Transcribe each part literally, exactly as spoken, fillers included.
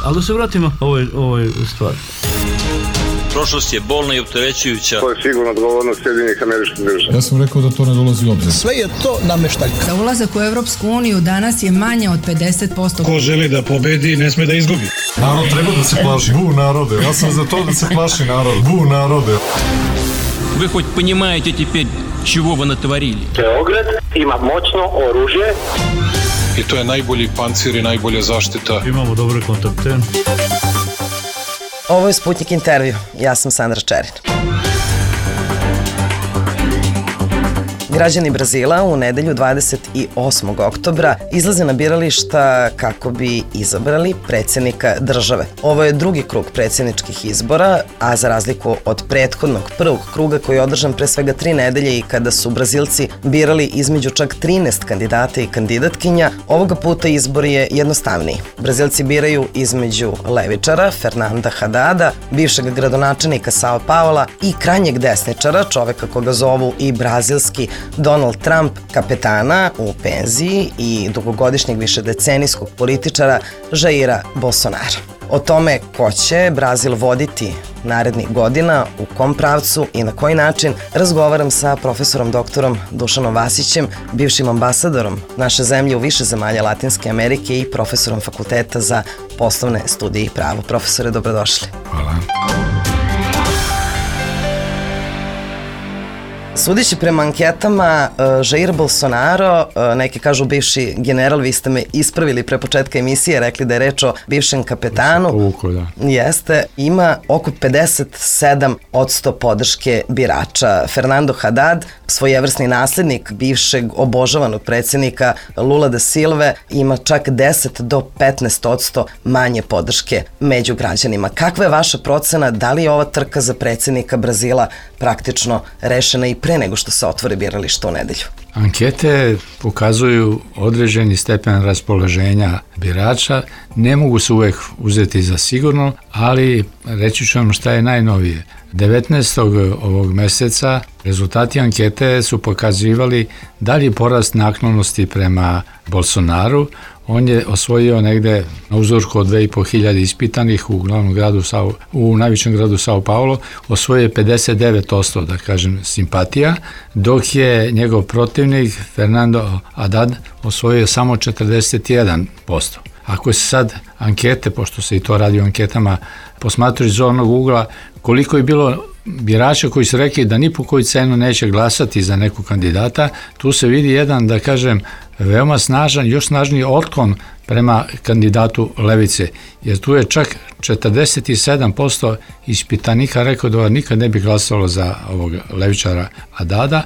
Ali da se vratimo ovoj, ovoj stvari. Prošlost je bolna i opterećujuća. To je sigurno odgovornost Sjedinjenih Američkih Država. Ja sam rekao da to ne dolazi u obzir. Sve je to nameštaljka. Za ulazak u Evropsku uniju danas je manje od pedeset posto. Ko želi da pobedi, ne sme da izgubi. Narod treba da se plaši. Bu narode. Ja sam za to da se plaši narod. Bu narode. Вы хоть понимаете теперь, чего вы натворили? Beograd ima moćno oružje. I to je najbolji pancir i najbolja zaštita. Imamo dobre kontakte. Ovo je Sputnik intervju. Ja sam Sandra Čerin. Građani Brazila u nedelju dvadeset osmog oktobra izlaze na birališta kako bi izabrali predsjednika države. Ovo je drugi krug predsjedničkih izbora, a za razliku od prethodnog prvog kruga koji je održan pre svega tri nedelje i kada su Brazilci birali između čak trinaest kandidata i kandidatkinja, ovoga puta izbor je jednostavniji. Brazilci biraju između levičara Fernanda Hadada, bivšeg gradonačelnika Sao Paula i krajnjeg desničara, čoveka koga zovu i brazilski Donald Trump, kapetana u penziji i dugogodišnjeg višedecenijskog političara Jaira Bolsonara. O tome ko će Brazil voditi narednih godina, u kom pravcu i na koji način razgovaram sa profesorom doktorom Dušanom Vasićem, bivšim ambasadorom naše zemlje u više zemalja Latinske Amerike i profesorom Fakulteta za poslovne studije i pravo. Profesore, dobrodošli. Hvala. Sudeći prema anketama, Jair Bolsonaro, neki kažu bivši general, vi ste me ispravili pre početka emisije, rekli da je reč o bivšem kapetanu. Povuko, da. Jeste, ima oko pedeset sedam posto podrške birača. Fernando Haddad, svojevrsni naslednik bivšeg obožavanog predsjednika Lula da Silve, ima čak deset do petnaest posto manje podrške među građanima. Kakva je vaša procena, da li je ova trka za predsjednika Brazila praktično rešena i pre nego što se otvore birališta u nedelju? Ankete pokazuju određeni stepen raspoloženja birača, ne mogu se uvek uzeti za sigurno, ali reći ću vam šta je najnovije. devetnaestog ovog meseca rezultati ankete su pokazivali dalji porast naklonosti prema Bolsonaru. On je osvojio negde na uzorku od dve i po hiljade ispitanih u glavnom gradu, Sao, u najvećem gradu Sao Paulo, osvojio je pedeset devet posto, da kažem, simpatija, dok je njegov protivnik Fernando Haddad osvojio samo četrdeset jedan posto. Ako se sad ankete, pošto se i to radi o anketama, posmatruju iz zornog ugla, koliko je bilo birača koji su rekli da ni po koju cenu neće glasati za neku kandidata, tu se vidi jedan, da kažem, veoma snažan, još snažniji otklon prema kandidatu levice, jer tu je čak četrdeset sedam posto ispitanika rekao da nikad ne bi glasalo za ovog levičara Haddada,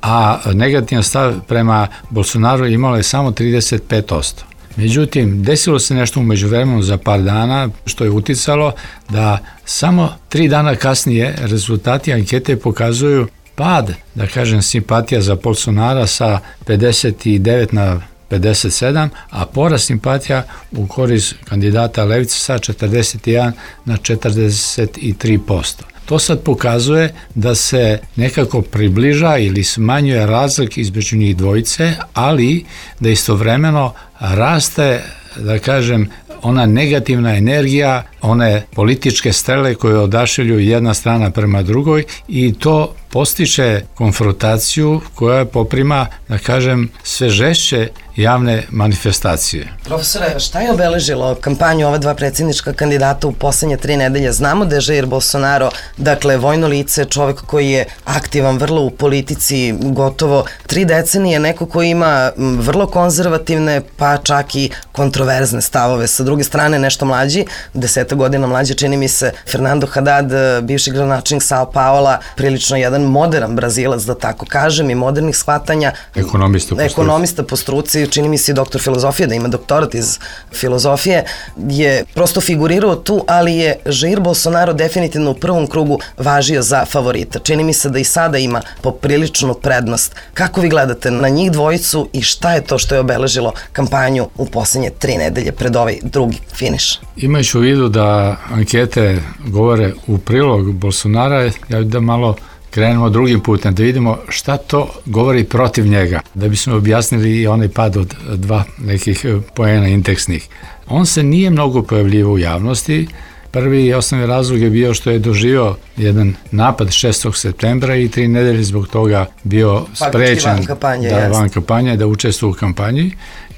a negativan stav prema Bolsonaru imalo je samo trideset pet posto. Međutim, desilo se nešto u međuvremenu za par dana, što je uticalo da samo tri dana kasnije rezultati ankete pokazuju pad, da kažem, simpatija za Bolsonara sa pedeset devet na pedeset sedam, a porast simpatija u korist kandidata levice sa četrdeset jedan na četrdeset tri posto. To sad pokazuje da se nekako približa ili smanjuje razlik između njih dvojice, ali da istovremeno raste, da kažem, ona negativna energija, one političke strele koje odašilju jedna strana prema drugoj i to postiče konfrontaciju koja poprima, da kažem, sve žešće javne manifestacije. Profesore, šta je obeležilo kampanju ova dva predsjednička kandidata u poslednje tri nedelje? Znamo da je Jair Bolsonaro, dakle, vojno lice, čovek koji je aktivan vrlo u politici gotovo tri decenije, neko koji ima vrlo konzervativne, pa čak i kontroverzne stavove. Sa druge strane, nešto mlađi, deseta godina mlađi, čini mi se, Fernando Haddad, bivši gradonačelnik Sao Paula, prilično jedan modern Brazilac, da tako kažem, i modernih shvatanja. Ekonomista po struci. Ekonomista po struci, čini mi se i doktor filozofije, da ima doktorat iz filozofije, je prosto figurirao tu, ali je Jair Bolsonaro definitivno u prvom krugu važio za favorita. Čini mi se da i sada ima popriličnu prednost. Kako vi gledate na njih dvojicu i šta je to što je obeležilo kampanju u poslednje tri nedelje pred ovaj drugi finiš? Imajući u vidu da ankete govore u prilog Bolsonara, ja bih da malo krenemo drugim putem, da vidimo šta to govori protiv njega, da bismo objasnili i onaj pad od dva nekih poena indeksnih. On se nije mnogo pojavljivao u javnosti. Prvi i osnovni razlog je bio što je doživio jedan napad šestog septembra i tri nedelje zbog toga bio sprečen van kampanje, da, van kampanje, da učestvuje u kampanji.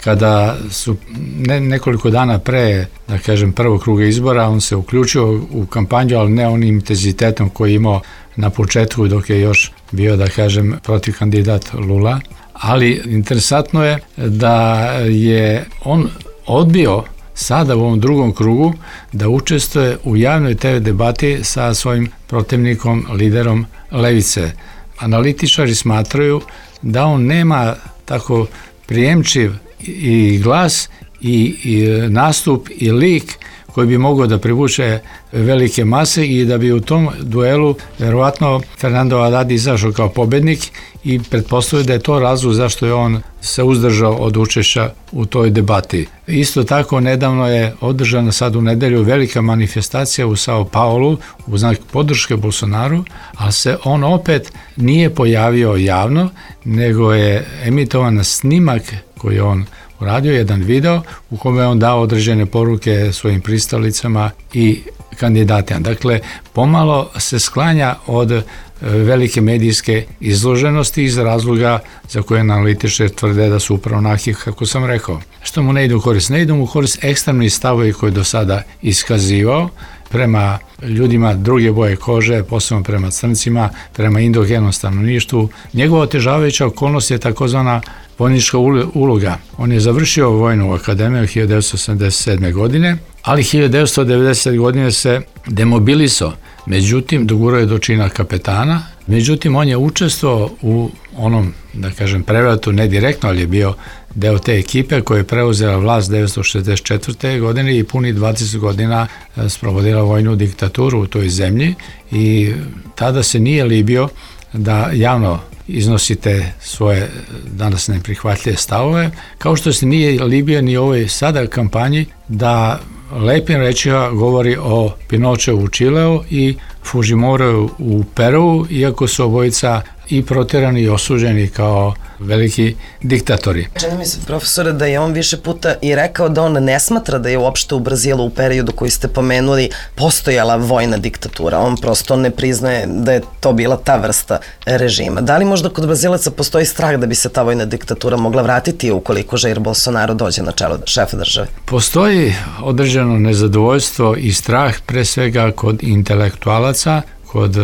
Kada su ne, nekoliko dana pre, da kažem, prvog kruga izbora, on se uključio u kampanju, ali ne onim intenzitetom koji je imao na početku dok je još bio, da kažem, protiv kandidat Lula. Ali interesantno je da je on odbio sada u ovom drugom krugu da učestvuje u javnoj te ve debati sa svojim protivnikom, liderom levice. Analitičari smatraju da on nema tako prijemčiv i glas i, i nastup i lik koji bi mogao da privuče velike mase i da bi u tom duelu verovatno Fernando Haddad izašao kao pobednik i pretpostavio da je to razlog zašto je on se uzdržao od učešća u toj debati. Isto tako nedavno je održana sad u nedelju velika manifestacija u Sao Paulu u znak podrške Bolsonaru, ali se on opet nije pojavio javno, nego je emitovan snimak koji on uradio, jedan video u kome je on dao određene poruke svojim pristalicama i kandidatima. Dakle, pomalo se sklanja od velike medijske izloženosti iz razloga za koje analitičari tvrde da su upravo onaki kako sam rekao. Što mu ne ide u korist? Ne ide mu u korist ekstremni stavovi koje je do sada iskazivao prema ljudima druge boje kože, posebno prema crncima, prema indogenom stanovništvu. Njegova otežavajuća okolnost je takozvana vojnička uloga. On je završio vojnu akademiju hiljadu devetsto osamdeset sedme. godine, ali hiljadu devetsto devedesete. godine se demobilisao. Međutim, dogurao je do čina kapetana. Međutim, on je učestvovao u onom, da kažem, prevratu, ne direktno, ali je bio deo te ekipe koja je preuzela vlast devetsto šezdeset četvrte. godine i puni dvadeset godina sprovodila vojnu diktaturu u toj zemlji i tada se nije libio da javno iznosite svoje danas neprihvatljive stavove, kao što se nije libio ni u ovoj sada kampanji da lepim rečima govori o Pinocheu u Čileu i Fujimoriju u Peruu, iako su obojica i protjerani i osuđeni kao veliki diktatori. Čini mi se, profesore, da je on više puta i rekao da on ne smatra da je uopšte u Brazilu u periodu koji ste pomenuli postojala vojna diktatura. On prosto ne priznaje da je to bila ta vrsta režima. Da li možda kod Brazilaca postoji strah da bi se ta vojna diktatura mogla vratiti ukoliko Jair Bolsonaro dođe na čelo šefa države? Postoji određeno nezadovoljstvo i strah pre svega kod intelektualaca, kod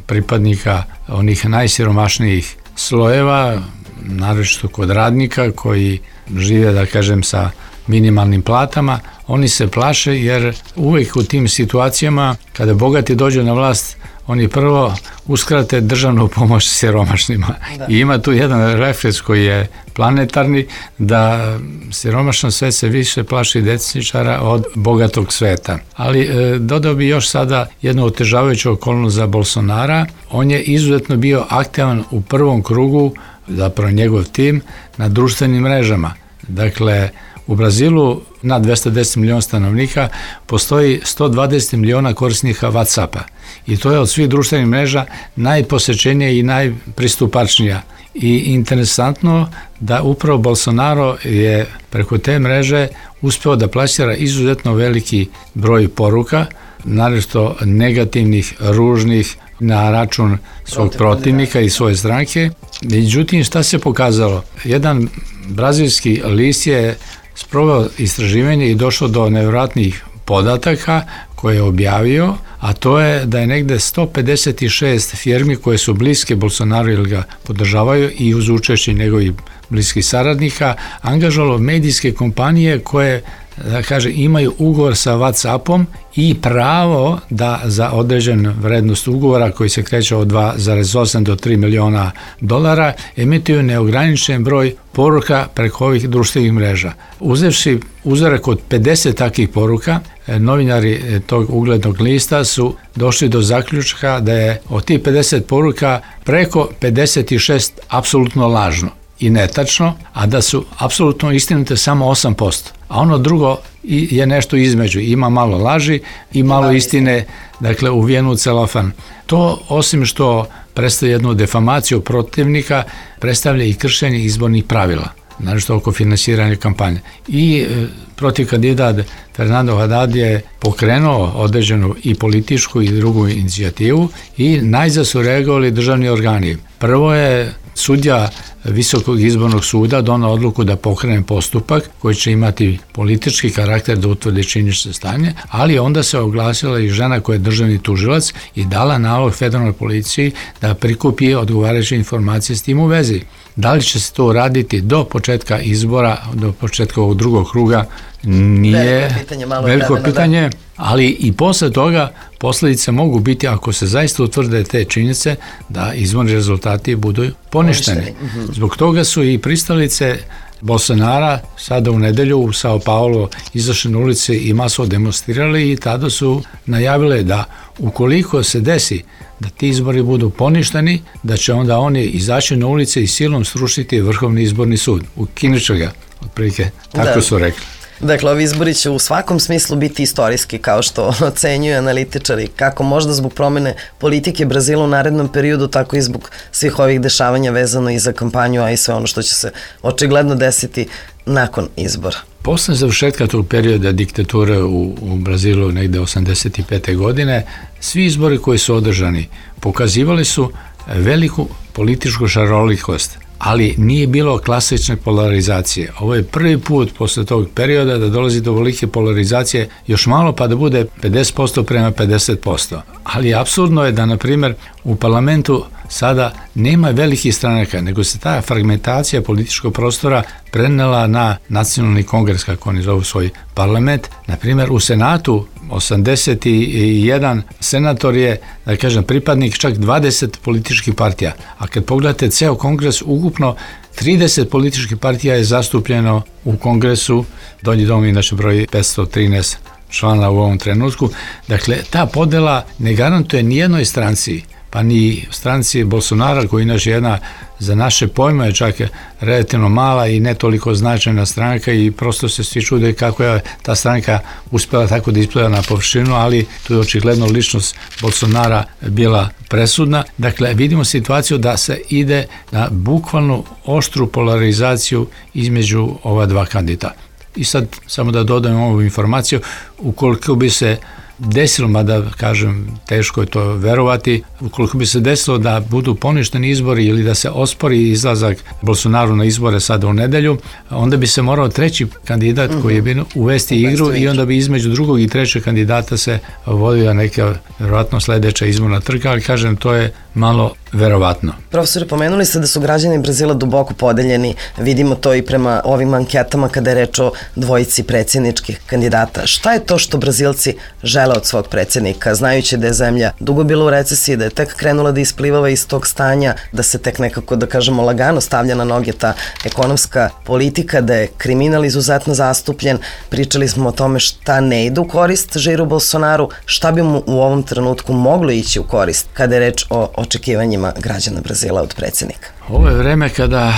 pripadnika onih najsiromašnijih slojeva, naročito kod radnika koji žive, da kažem, sa minimalnim platama. Oni se plaše jer uvijek u tim situacijama kada bogati dođu na vlast, oni prvo uskrate državnu pomoć siromašnima. Da. I ima tu jedan refleks koji je planetarni, da siromašno svet se više plaši desničara od bogatog sveta. Ali e, dodao bi još sada jednu otežavajuću okolnost za Bolsonara. On je izuzetno bio aktivan u prvom krugu, zapravo njegov tim, na društvenim mrežama. Dakle, u Brazilu na dvesta deset miliona stanovnika postoji sto dvadeset miliona korisnika WhatsAppa i to je od svih društvenih mreža najposjećenija i najpristupačnija. I interesantno da upravo Bolsonaro je preko te mreže uspeo da plasira izuzetno veliki broj poruka, naročito negativnih, ružnih, na račun svog protivnika i svoje stranke. Međutim, šta se pokazalo? Jedan brazilski list je sproveo istraživanje i došao do nevjerojatnih podataka koje je objavio, a to je da je negde sto pedeset šest firmi koje su bliske Bolsonaru ili ga podržavaju i uz učešće njegovih bliskih saradnika angažovalo medijske kompanije koje, da kaže, imaju ugovor sa WhatsAppom i pravo da za određen vrednost ugovora koji se kreće od dva zarez osam do tri miliona dolara emituju neograničen broj poruka preko ovih društvenih mreža. Uzevši uzorak od pedeset takvih poruka, novinari tog uglednog lista su došli do zaključka da je od tih pedeset poruka preko pedeset šest apsolutno lažno i netačno, a da su apsolutno istinite samo osam posto. A ono drugo je nešto između, ima malo laži i malo istine, dakle uvijenu u celofan. To, osim što predstavlja jednu defamaciju protivnika, predstavlja i kršenje izbornih pravila, naročito oko finansiranja kampanje. I e, protiv kandidat Fernando Haddad je pokrenuo određenu i političku i drugu inicijativu i najzad su reagovali državni organi. Prvo je sudja Visokog izbornog suda donao odluku da pokrene postupak koji će imati politički karakter da utvrdi činjenično stanje, ali onda se oglasila i žena koja je državni tužilac i dala nalog federalnoj policiji da prikupi odgovarajuće informacije s tim u vezi. Da li će se to raditi do početka izbora, do početka ovog drugog kruga, nije veliko pitanje, malo veliko vremena, pitanje da. Ali i posle toga posledice mogu biti, ako se zaista utvrde te činjenice, da izborni rezultati budu poništeni. Poništeni. Zbog toga su i pristalice Bolsonara sada u nedelju u Sao Paulo izašli na ulici i masovno demonstrirali i tada su najavile da ukoliko se desi da ti izbori budu poništeni, da će onda oni izaći na ulice i silom srušiti Vrhovni izborni sud. Ukinut će ga, otprilike, tako Da. su rekli. Dakle, ovi izbori će u svakom smislu biti istorijski, kao što ocenjuju analitičari, kako možda zbog promene politike Brazila u narednom periodu, tako i zbog svih ovih dešavanja vezano i za kampanju, a i sve ono što će se očigledno desiti nakon izbora. Posle završetka tog perioda diktature u, u Brazilu negde osamdeset pete godine, svi izbori koji su održani pokazivali su veliku političku šarolikost, ali nije bilo klasične polarizacije. Ovo je prvi put posle tog perioda da dolazi do velike polarizacije, još malo pa da bude pedeset posto prema pedeset posto. Ali apsurdno je da, na primjer, u parlamentu sada nema velikih stranaka, nego se ta fragmentacija političkog prostora prenela na nacionalni kongres, kako oni zovu svoj parlament. Na primjer, u Senatu osamdeset jedan senator je, da kažem, pripadnik čak dvadeset političkih partija. A kad pogledate ceo kongres, ukupno trideset političkih partija je zastupljeno u kongresu. Donji dom inače broji petsto trinaest člana u ovom trenutku. Dakle, ta podela ne garantuje nijednoj stranci, pa ni stranci Bolsonara, koji inače jedna za naše pojme je čak relativno mala i ne toliko značajna stranka i prosto se svi čude kako je ta stranka uspela tako da ispleva na površinu, ali tu je očigledno ličnost Bolsonara bila presudna. Dakle, vidimo situaciju da se ide na bukvalnu oštru polarizaciju između ova dva kandidata. I sad samo da dodajem ovu informaciju, ukoliko bi se desilo, mada kažem teško je to verovati, ukoliko bi se desilo da budu poništeni izbori ili da se ospori izlazak Bolsonaru na izbore sada u nedelju, onda bi se morao treći kandidat koji je bio uvesti igru i onda bi između drugog i trećeg kandidata se vodila neka verovatno sledeća izborna trka, ali kažem to je malo verovatno. Profesore, pomenuli ste da su građani Brazila duboko podeljeni, vidimo to i prema ovim anketama kada je reč o dvojici predsjedničkih kandidata. Šta je to što Brazilci žele od svog predsjednika, znajući da je zemlja dugo bila u recesiji, da je tek krenula da isplivava iz tog stanja, da se tek nekako, da kažemo, lagano stavlja na noge ta ekonomska politika, da je kriminal izuzetno zastupljen. Pričali smo o tome šta ne ide u korist Jairu Bolsonaru, šta bi mu u ovom trenutku moglo ići u korist kada je reč o očekivanjima građana Brazila od predsjednika. Ovo je vreme kada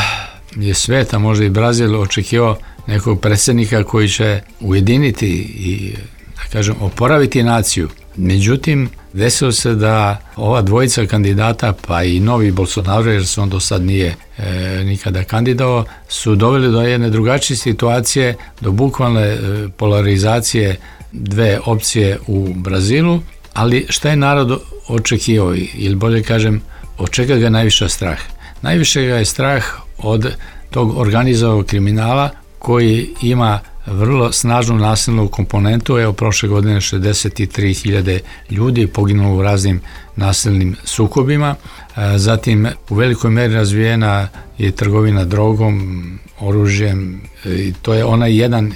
je sveta, možda i Brazil, očekivao nekog predsjednika koji će ujediniti i, da kažem, oporaviti naciju. Međutim, desilo se da ova dvojica kandidata, pa i novi Bolsonaro, jer se on do sad nije e, nikada kandidao, su doveli do jedne drugačije situacije, do bukvalne e, polarizacije dve opcije u Brazilu, ali šta je narod očekivao, ili bolje kažem, od čega ga najviše strah? Najviše ga je strah od tog organizovanog kriminala koji ima vrlo snažnu nasilnu komponentu. Evo, prošle godine šezdeset tri hiljade ljudi poginulo u raznim nasilnim sukobima. Zatim, u velikoj meri razvijena je trgovina drogom, oružjem, i to je onaj jedan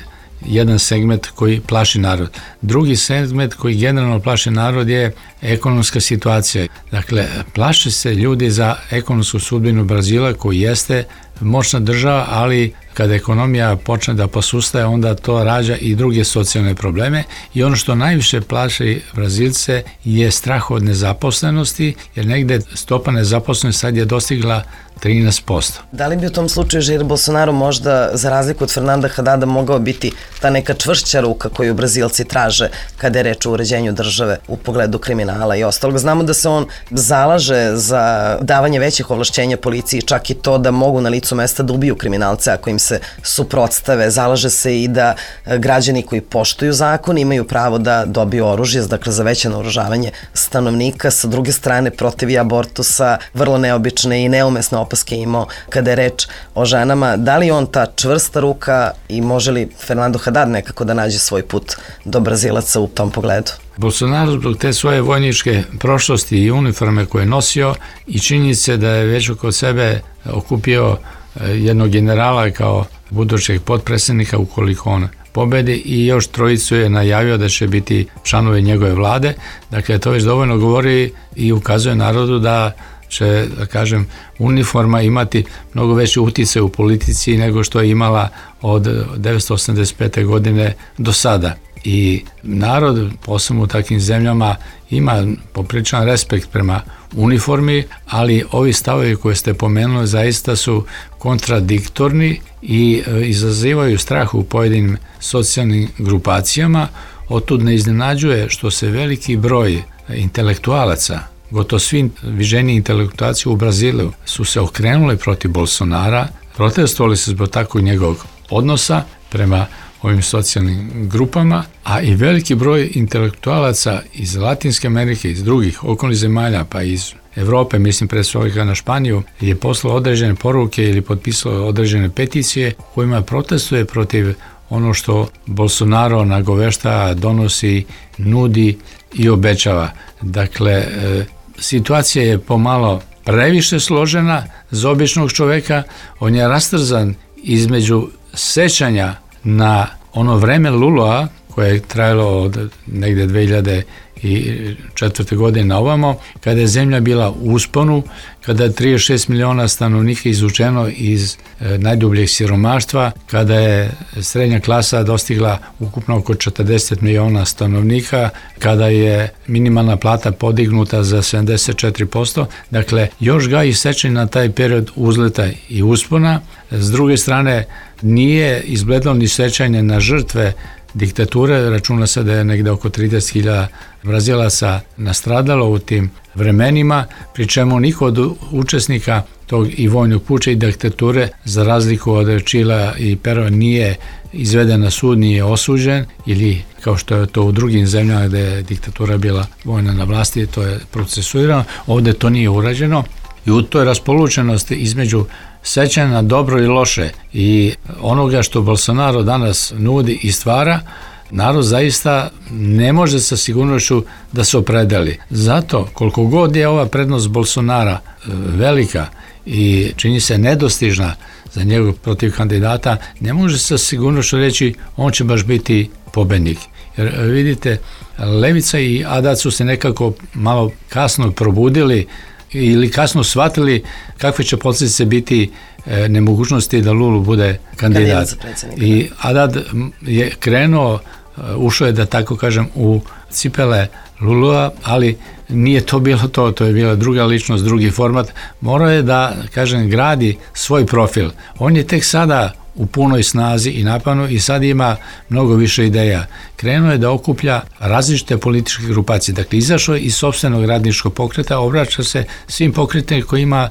jedan segment koji plaši narod. Drugi segment koji generalno plaši narod je ekonomska situacija. Dakle, plaše se ljudi za ekonomsku sudbinu Brazila, koji jeste moćna država, ali kada ekonomija počne da posustaje, onda to rađa i druge socijalne probleme i ono što najviše plaši Brazilce je strah od nezaposlenosti, jer negde stopa nezaposlenosti sad je dostigla trinaest posto. Da li bi u tom slučaju Jair Bolsonaro možda, za razliku od Fernanda Hadada, mogao biti ta neka čvršća ruka koju Brazilci traže kada je reč o uređenju države u pogledu kriminala i ostalog? Znamo da se on zalaže za davanje većih ovlašćenja policiji, čak i to da mogu na licu mesta da ubiju kriminalce ako im se suprotstave. Zalaže se i da građani koji poštuju zakon imaju pravo da dobiju oružje, dakle za veće naoružavanje stanovnika. Sa druge strane, protiv i abortusa, vrlo neobične i neumesne opaske imao kada je reč o ženama. Da li on ta čvrsta ruka i može li Fernando Haddad nekako da nađe svoj put do Brazilaca u tom pogledu? Bolsonaro zbog te svoje vojničke prošlosti i uniforme koje je nosio i činjenice da je već oko sebe okupio jednog generala kao budućeg potpredsjednika ukoliko on pobedi i još trojicu je najavio da će biti članovi njegove vlade. Dakle, to već dovoljno govori i ukazuje narodu da će, da kažem, uniforma imati mnogo veći utjecaj u politici nego što je imala od devetsto osamdeset pete. godine do sada. I narod, posebno u takvim zemljama, ima popriličan respekt prema uniformi, ali ovi stavovi koje ste pomenuli zaista su kontradiktorni i izazivaju strah u pojedinim socijalnim grupacijama. Otud ne iznenađuje što se veliki broj intelektualaca, gotovo svi viženi intelektualci u Brazilu su se okrenuli protiv Bolsonara, protestovali se zbog takvog njegovog odnosa prema ovim socijalnim grupama, a i veliki broj intelektualaca iz Latinske Amerike, iz drugih okolnih zemalja, pa iz Evrope, mislim pre svega na Španiju, je poslao određene poruke ili potpisao određene peticije kojima protestuje protiv ono što Bolsonaro nagovešta, donosi, nudi i obećava. Dakle, situacija je pomalo previše složena za običnog čoveka, on je rastrzan između sećanja na ono vreme Lulua koje je trajalo od negde dve hiljade četvrte. godine na ovamo, kada je zemlja bila u usponu, kada je trideset šest miliona stanovnika izvučeno iz e, najdubljeg siromaštva, kada je srednja klasa dostigla ukupno oko četrdeset miliona stanovnika, kada je minimalna plata podignuta za sedamdeset četiri posto. Dakle, još ga i sećanje na taj period uzleta i uspona. S druge strane, nije izgledalo ni sećanje na žrtve diktature, računa se da je negde oko trideset hiljada Brazilaca nastradalo u tim vremenima, pri čemu niko od učesnika tog i vojnog puča i diktature, za razliku od Čila i Pero, nije izveden na sud, nije osuđen, ili kao što je to u drugim zemljama gde je diktatura bila vojna na vlasti, to je procesuirano. Ovde to nije urađeno i u toj raspolučenosti između sećanja na dobro i loše i onoga što Bolsonaro danas nudi i stvara, narod zaista ne može sa sigurnošću da se opredeli. Zato, koliko god je ova prednost Bolsonara velika i čini se nedostižna za njegov protiv kandidata, ne može sa sigurnošću reći on će baš biti pobednik. Jer vidite, Levica i Haddad su se nekako malo kasno probudili ili kasno shvatili kakve će posljedice biti e, nemogućnosti da Lulu bude kandidat. I Haddad je krenuo, ušao je, da tako kažem, u cipele Lulua, ali nije to bilo to, to je bila druga ličnost, drugi format. Morao je da, kažem, gradi svoj profil. On je tek sada u punoj snazi i napanu i sad ima mnogo više ideja. Krenuo je da okuplja različite političke grupacije. Dakle, izašao je iz sopstvenog radničkog pokreta, obraća se svim pokretima koji imaju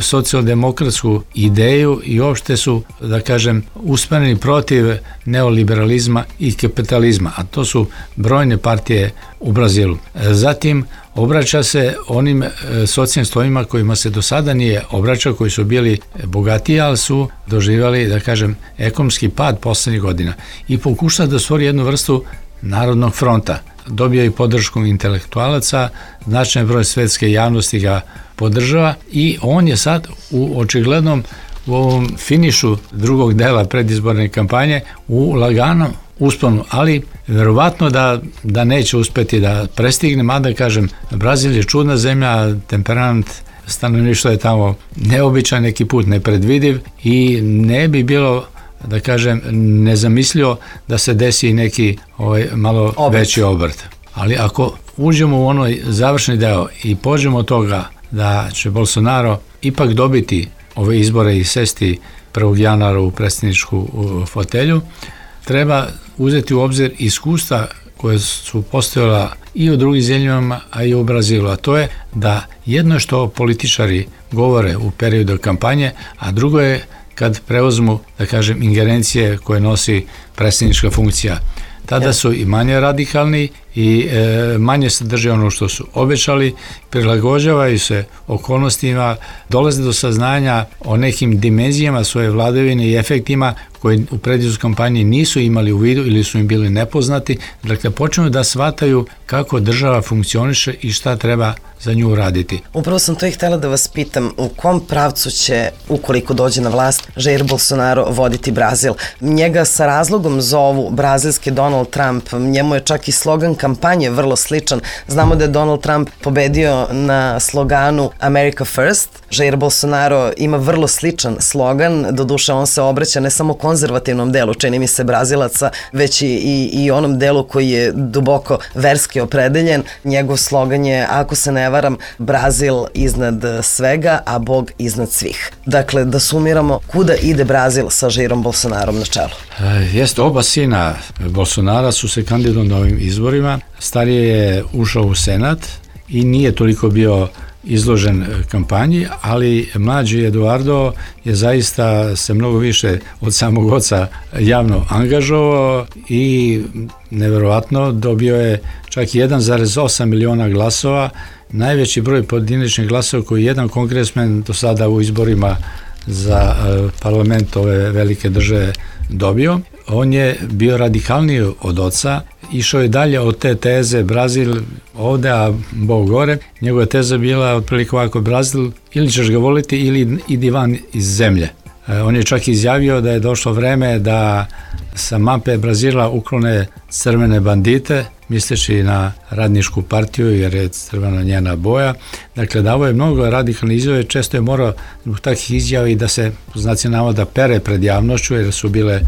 socijaldemokratsku ideju i uopšte su, da kažem, usmereni protiv neoliberalizma i kapitalizma, a to su brojne partije u Brazilu. Zatim, obraća se onim socijalnim slojima kojima se do sada nije obraćao, koji su bili bogatiji, ali su doživjeli, da kažem, ekonomski pad poslednjih godina i pokušao da stvori jednu vrstu narodnog fronta. Dobio i podršku intelektualaca, značajan broj svetske javnosti ga podržava i on je sad u očiglednom u ovom finišu drugog dela predizborne kampanje u laganom usponu, ali verovatno da, da neće uspeti da prestigne, mada kažem, Brazil je čudna zemlja, temperament stanovništva je tamo neobičan, neki put nepredvidiv i ne bi bilo da kažem, nezamislio da se desi neki ovaj, malo obrt. Veći obrt. Ali ako uđemo u onoj završni deo i pođemo od toga da će Bolsonaro ipak dobiti ove izbore i sesti prvog januara u predsjedničku fotelju, treba uzeti u obzir iskustva koje su postojala i u drugim zemljama, a i u Brazilu, a to je da jedno je što političari govore u periodu kampanje, a drugo je kad preuzmu, da kažem, ingerencije koje nosi predsjednička funkcija. Tada su i manje radikalni i e, manje sadrže ono što su obećali, prilagođavaju se okolnostima, dolaze do saznanja o nekim dimenzijama svoje vladavine i efektima koji u predizbornoj kampanji nisu imali u vidu ili su im bili nepoznati. Dakle, počnu da shvataju kako država funkcioniše i šta treba za nju uraditi. Upravo sam to i htjela da vas pitam, u kom pravcu će, ukoliko dođe na vlast, Jair Bolsonaro voditi Brazil? Njega sa razlogom zovu brazilski Donald Trump, njemu je čak i slogan kampanje vrlo sličan. Znamo da je Donald Trump pobedio na sloganu America First. Jair Bolsonaro ima vrlo sličan slogan, doduše on se obraća ne samo konzervativnom delu, čini mi se, Brazilaca, već i, i, i onom delu koji je duboko verski opredeljen. Njegov slogan je, ako se ne varam, Brazil iznad svega, a Bog iznad svih. Dakle, da sumiramo, kuda ide Brazil sa Jairom Bolsonarom na čelu? E, jest, oba sina Bolsonara su se kandidovali na ovim izborima. Stariji je ušao u Senat i nije toliko bio izložen kampanji, ali mlađi Eduardo je zaista se mnogo više od samog oca javno angažovao i neverovatno dobio je čak jedan zarez osam miliona glasova, najveći broj pojedinačnih glasova koji jedan kongresmen do sada u izborima za parlament ove velike države dobio. On je bio radikalniji od oca, išao je dalje od te teze Brazil ovde, a Bog gore. Njegova teza bila otprilike ovako: Brazil, ili ćeš ga voliti ili idi van iz zemlje. On je čak izjavio da je došlo vreme da sa mape Brazila uklone crvene bandite, misleći na radničku partiju, jer je crvena njena boja. Dakle, davo je mnogo radikalne izjave, često je morao zbog takvih izjava i da se, znaci navoda, pere pred javnošću, jer su bile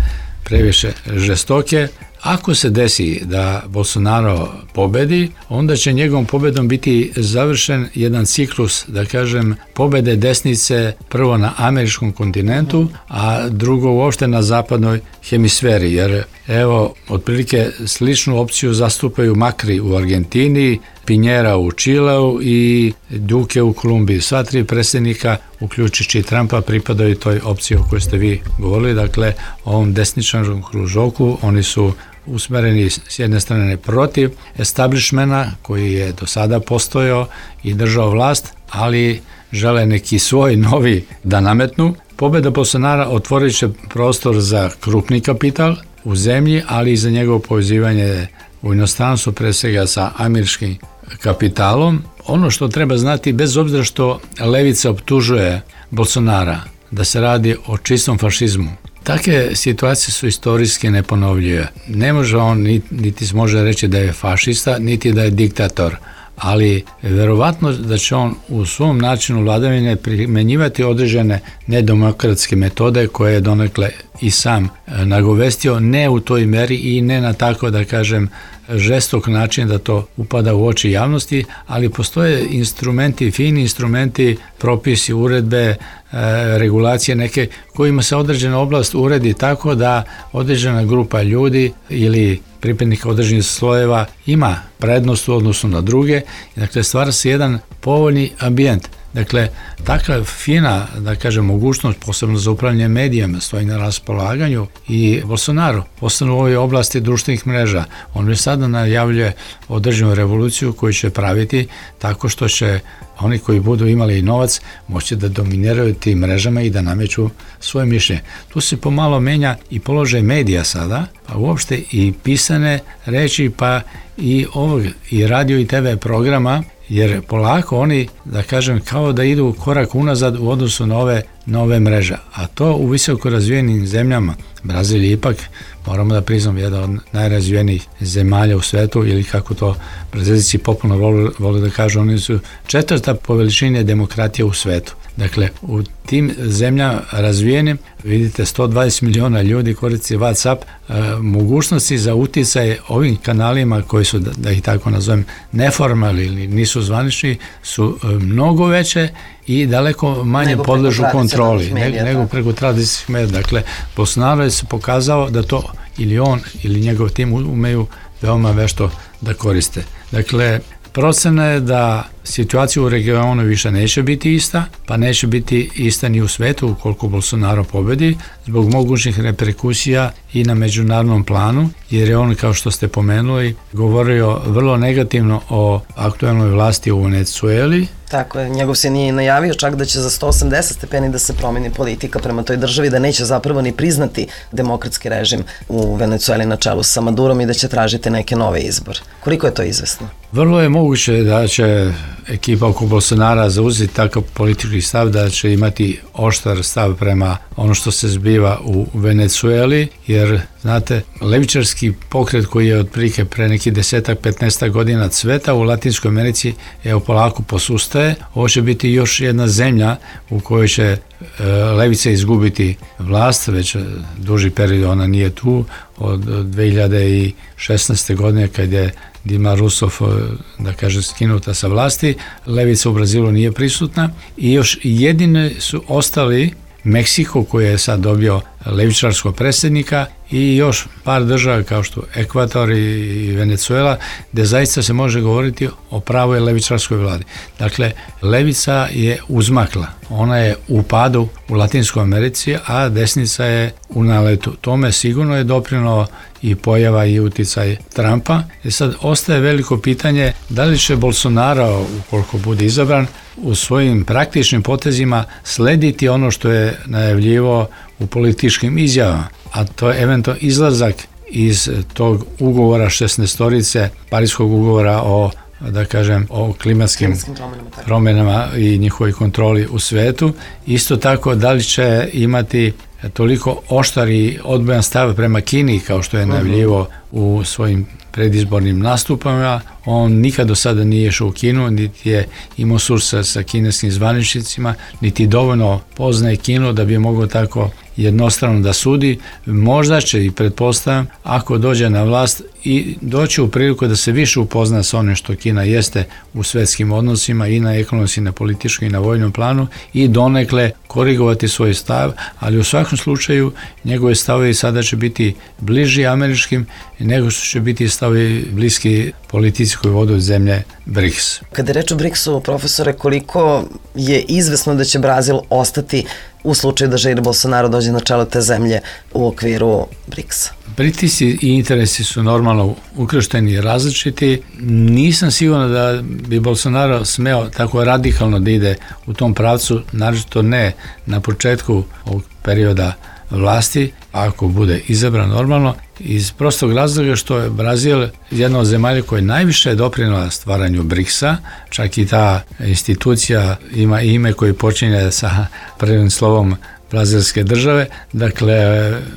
previše žestoke. Ako se desi da Bolsonaro pobedi, onda će njegovom pobedom biti završen jedan ciklus, da kažem, pobede desnice prvo na američkom kontinentu, a drugo uopšte na zapadnoj hemisferi, jer evo, otprilike sličnu opciju zastupaju Macri u Argentini, Pinjera u Čileu i Duque u Kolumbiji. Sva tri predsjednika, uključujući Trumpa, pripadaju toj opciji o kojoj ste vi govorili, dakle, ovom desničarskom kružoku. Oni su usmereni s jedne strane protiv establishmenta koji je do sada postojao i držao vlast, ali žele neki svoj novi da nametnu. Pobeda Bolsonara otvorit će prostor za krupni kapital u zemlji, ali i za njegovo povezivanje u inostranstvu, pre svega sa američkim kapitalom. Ono što treba znati, bez obzira što levica optužuje Bolsonara da se radi o čistom fašizmu, takve situacije su istorijski neponovljive. Ne može on, niti može reći da je fašista, niti da je diktator, ali verovatno da će on u svom načinu vladavine primenjivati određene nedemokratske metode koje je donekle i sam nagovestio, ne u toj meri i ne na tako, da kažem, žestok način da to upada u oči javnosti, ali postoje instrumenti, fini instrumenti, propisi, uredbe, regulacije neke kojima se određena oblast uredi tako da određena grupa ljudi ili pripadnika određenih slojeva ima prednost u odnosu na druge. Dakle, stvara se jedan povoljni ambijent. Dakle, takva fina, da kažem, mogućnost, posebno za upravljanje medijama, stoji na raspolaganju i Bolsonaro, posebno u ovoj oblasti društvenih mreža. On već sada najavljuje određenu revoluciju koju će praviti tako što će oni koji budu imali novac moći da dominiraju tim mrežama i da nameću svoje mišljenje. Tu se pomalo menja i položaj medija sada, pa uopšte i pisane reči, pa i ovog i radio i te ve programa, jer polako oni, da kažem, kao da idu korak unazad u odnosu na ove nove mreže. A to u visoko razvijenim zemljama, Brazil je ipak, moramo da priznamo, jedan od najrazvijenijih zemalja u svetu, ili kako to Brazilci popularno vole, vole da kažu, oni su četvrta po veličini demokratija u svetu. Dakle, u tim zemljama razvijenim, vidite, sto dvadeset miliona ljudi koristi WhatsApp, e, mogućnosti za uticaj ovim kanalima koji su, da, da ih tako nazovem, neformalni ili nisu zvanični, su e, mnogo veće i daleko manje nego podležu kontroli medija, nego preko tradicijskih medija. Dakle, Bolsonaro je se pokazao da to ili on ili njegov tim umeju veoma vešto da koriste. Dakle, procena je da situacija u regionu više neće biti ista, pa neće biti ista ni u svetu ukoliko Bolsonaro pobedi, zbog mogućih reperkusija i na međunarodnom planu, jer je on, kao što ste pomenuli, govorio vrlo negativno o aktuelnoj vlasti u Venecueli. Tako je, njegov se nije najavio čak da će za sto osamdeset stepeni da se promeni politika prema toj državi, da neće zapravo ni priznati demokratski režim u Venecueli na čelu sa Madurom i da će tražiti neke nove izbore. Koliko je to izvesno? Vrlo je moguće da će ekipa oko Bolsonara zauzeti takav politički stav, da će imati oštar stav prema ono što se zbiva u Venecueli, jer, znate, levičarski pokret koji je otprilike pre nekih desetak, petnaestak godina cveta u Latinskoj Americi, evo polako posustaje. Ovo će biti još jedna zemlja u kojoj će e, levica izgubiti vlast, već duži period ona nije tu, od dve hiljade šesnaeste. godine kad je Dilma Rousseff, da kaže, skinuta sa vlasti, levica u Brazilu nije prisutna i još jedine su ostali Meksiko koji je sad dobio levičarskog predsjednika i još par država kao što Ekvador i Venecuela, gde zaista se može govoriti o pravoj levičarskoj vladi. Dakle, levica je uzmakla, ona je u padu u Latinskoj Americi, a desnica je u naletu. Tome sigurno je doprinio i pojava i uticaj Trumpa. I sad ostaje veliko pitanje da li će Bolsonaro, ukoliko bude izabran, u svojim praktičnim potezima slediti ono što je najavljivo u političkim izjavama, a to je eventualno izlazak iz tog ugovora šesnaestorice, Pariskog ugovora o, da kažem, o klimatskim, klimatskim promjenama, promjenama i njihovoj kontroli u svetu. Isto tako, da li će imati toliko oštar i odbojan stav prema Kini, kao što je najavljivo u svojim predizbornim nastupama. On nikad do sada nije išao u Kinu, niti je imao sursa sa kineskim zvaničnicima, niti dovoljno poznaje Kinu da bi mogao tako jednostrano da sudi. Možda će, i pretpostavljam, ako dođe na vlast, i doći u priliku da se više upozna sa onim što Kina jeste u svetskim odnosima i na ekonomskim, na političkom i na vojnom planu, i donekle korigovati svoj stav, ali u svakom slučaju njegove stavovi sada će biti bliži američkim nego što će biti stavovi bliski politici koji vode zemlje BRICS. Kada je reč o BRICS-u, profesore, koliko je izvesno da će Brazil ostati u slučaju da Jair Bolsonaro dođe na čelo te zemlje u okviru BRICS-a? Pritisci i interesi su normalno ukršteni i različiti. Nisam siguran da bi Bolsonaro smeo tako radikalno da ide u tom pravcu, naročito ne na početku ovog perioda vlasti, ako bude izabran normalno, iz prostog razloga što je Brazil jedna od zemalja koja je najviše doprinela stvaranju BRICS-a, čak i ta institucija ima ime koje počinje sa prvim slovom brazilske države, dakle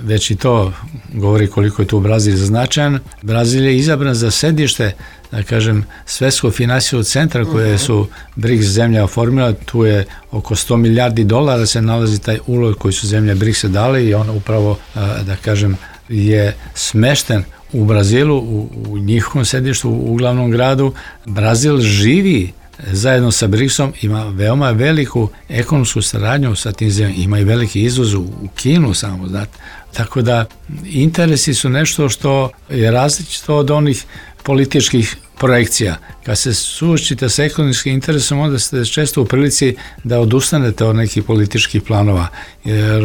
već i to govori koliko je tu Brazil značajan. Brazil je izabran za sedište, da kažem, svetskog finansijskog centra koje su BRICS zemlja oformila. Tu je oko sto milijardi dolara se nalazi taj ulog koji su zemlje BRICS-a dali i on upravo, da kažem, je smešten u Brazilu, u, u njihovom sedištu, u glavnom gradu. Brazil živi zajedno sa BRICS-om, ima veoma veliku ekonomsku saradnju sa tim zemljama, ima i veliki izvoz u Kinu samo, znate. Tako da interesi su nešto što je različito od onih političkih projekcija. Kad se suočite sa ekonomskim interesom, onda ste često u prilici da odustanete od nekih političkih planova, jer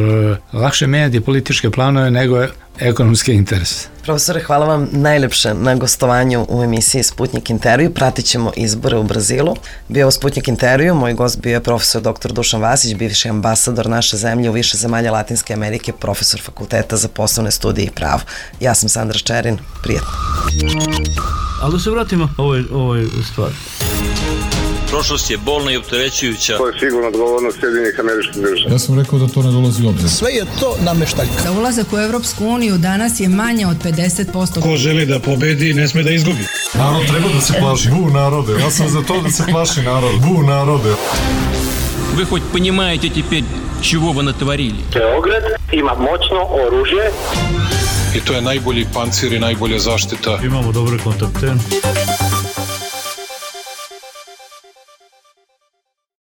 lakše menjati političke planove nego ekonomske interese. Profesore, hvala vam najlepše na gostovanju u emisiji Sputnjik intervju. Pratit ćemo izbore u Brazilu. Bio je Sputnjik intervju, moj gost bio je profesor doktor Dušan Vasić, bivši ambasador naše zemlje u više zemalja Latinske Amerike, profesor Fakulteta za poslovne studije i pravo. Ja sam Sandra Ščerin, prijatno. Ali da se vratimo ovoj, ovoj stvari. Prošlost je bolna i opterećujuća. To je sigurno odgovornost Sjedinjenih Američkih Država. Ja sam rekao da to ne dolazi u obzir. Sve je to nameštaljka. Za ulazak u Evropsku uniju danas je manje od pedeset posto. Ko želi da pobedi, ne sme da izgubi. Narod treba da se plaši. Bu narode, ja sam za to da se plaši narod. Bu narode. Вы хоть понимаете теперь, чего вы натворили? Beograd ima moćno oružje. I to je najbolji pancir i najbolja zaštita. Imamo dobre kontakte.